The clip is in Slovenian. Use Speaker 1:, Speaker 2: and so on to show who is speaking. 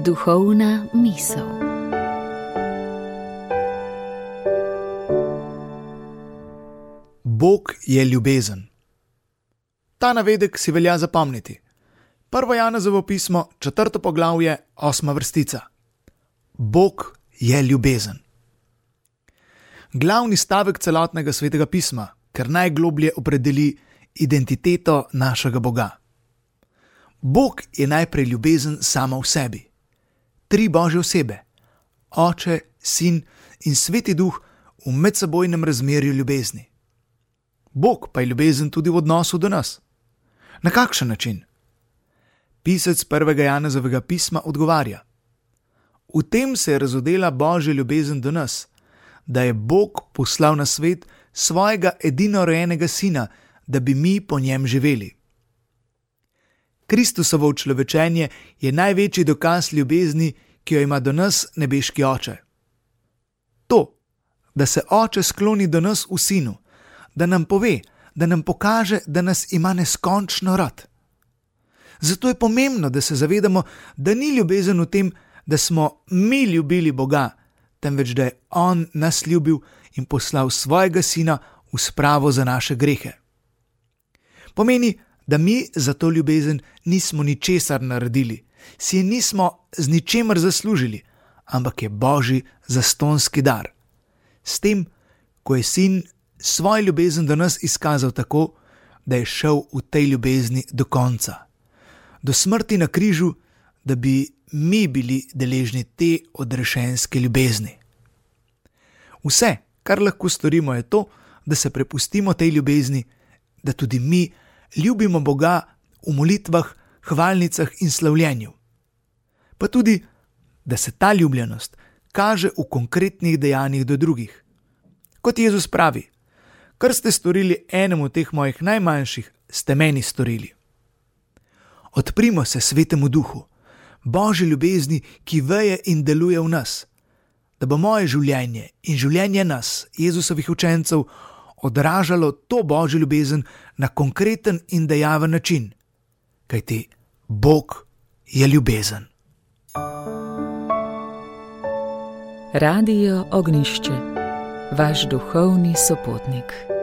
Speaker 1: Duhovna misel.
Speaker 2: Bog je ljubezen. Ta navedek si velja zapomniti. 1. Janezovo pismo, 4. poglavje, 8. vrstica. Bog je ljubezen. Glavni stavek celotnega svetega pisma, ker najgloblje opredeli identiteto našega Boga. Bog je najprej ljubezen sama v sebi. 3 Božje osebe, Oče, Sin in Sveti Duh v medsebojnem razmerju ljubezni. Bog pa je ljubezen tudi v odnosu do nas. Na kakšen način? Pisec 1. Janezovega pisma odgovarja: v tem se je razodela Božja ljubezen do nas, da je Bog poslal na svet svojega edinorojenega Sina, da bi mi po njem živeli. Kristusovo učlovečenje je največji dokaz ljubezni, ki jo ima do nas nebeški Oče. To, da se Oče skloni do nas v Sinu, da nam pove, da nam pokaže, da nas ima neskončno rad. Zato je pomembno, da se zavedamo, da ni ljubezen v tem, da smo mi ljubili Boga, temveč da je On nas ljubil in poslal svojega Sina v spravo za naše grehe. Pomeni, da mi za to ljubezen nismo ničesar naredili, si je nismo z ničemer zaslužili, ampak je Božji zastonski dar. S tem, ko je Sin svoj ljubezen do nas izkazal tako, da je šel v tej ljubezni do konca, do smrti na križu, da bi mi bili deležni te odrešenske ljubezni. Vse, kar lahko storimo, je to, da se prepustimo tej ljubezni, da tudi mi ljubimo Boga v molitvah, hvalnicah in slavljenju. Pa tudi, da se ta ljubljenost kaže v konkretnih dejanjih do drugih. Kot Jezus pravi: kar ste storili enemu teh mojih najmanjših, ste meni storili. Odprimo se Svetemu Duhu, Božji ljubezni, ki veje in deluje v nas, da bo moje življenje in življenje nas, Jezusovih učencev, odražalo to Božjo ljubezen na konkreten in dejaven način, kajti Bog je ljubezen.
Speaker 1: Radio Ognjišče, vaš duhovni sopotnik.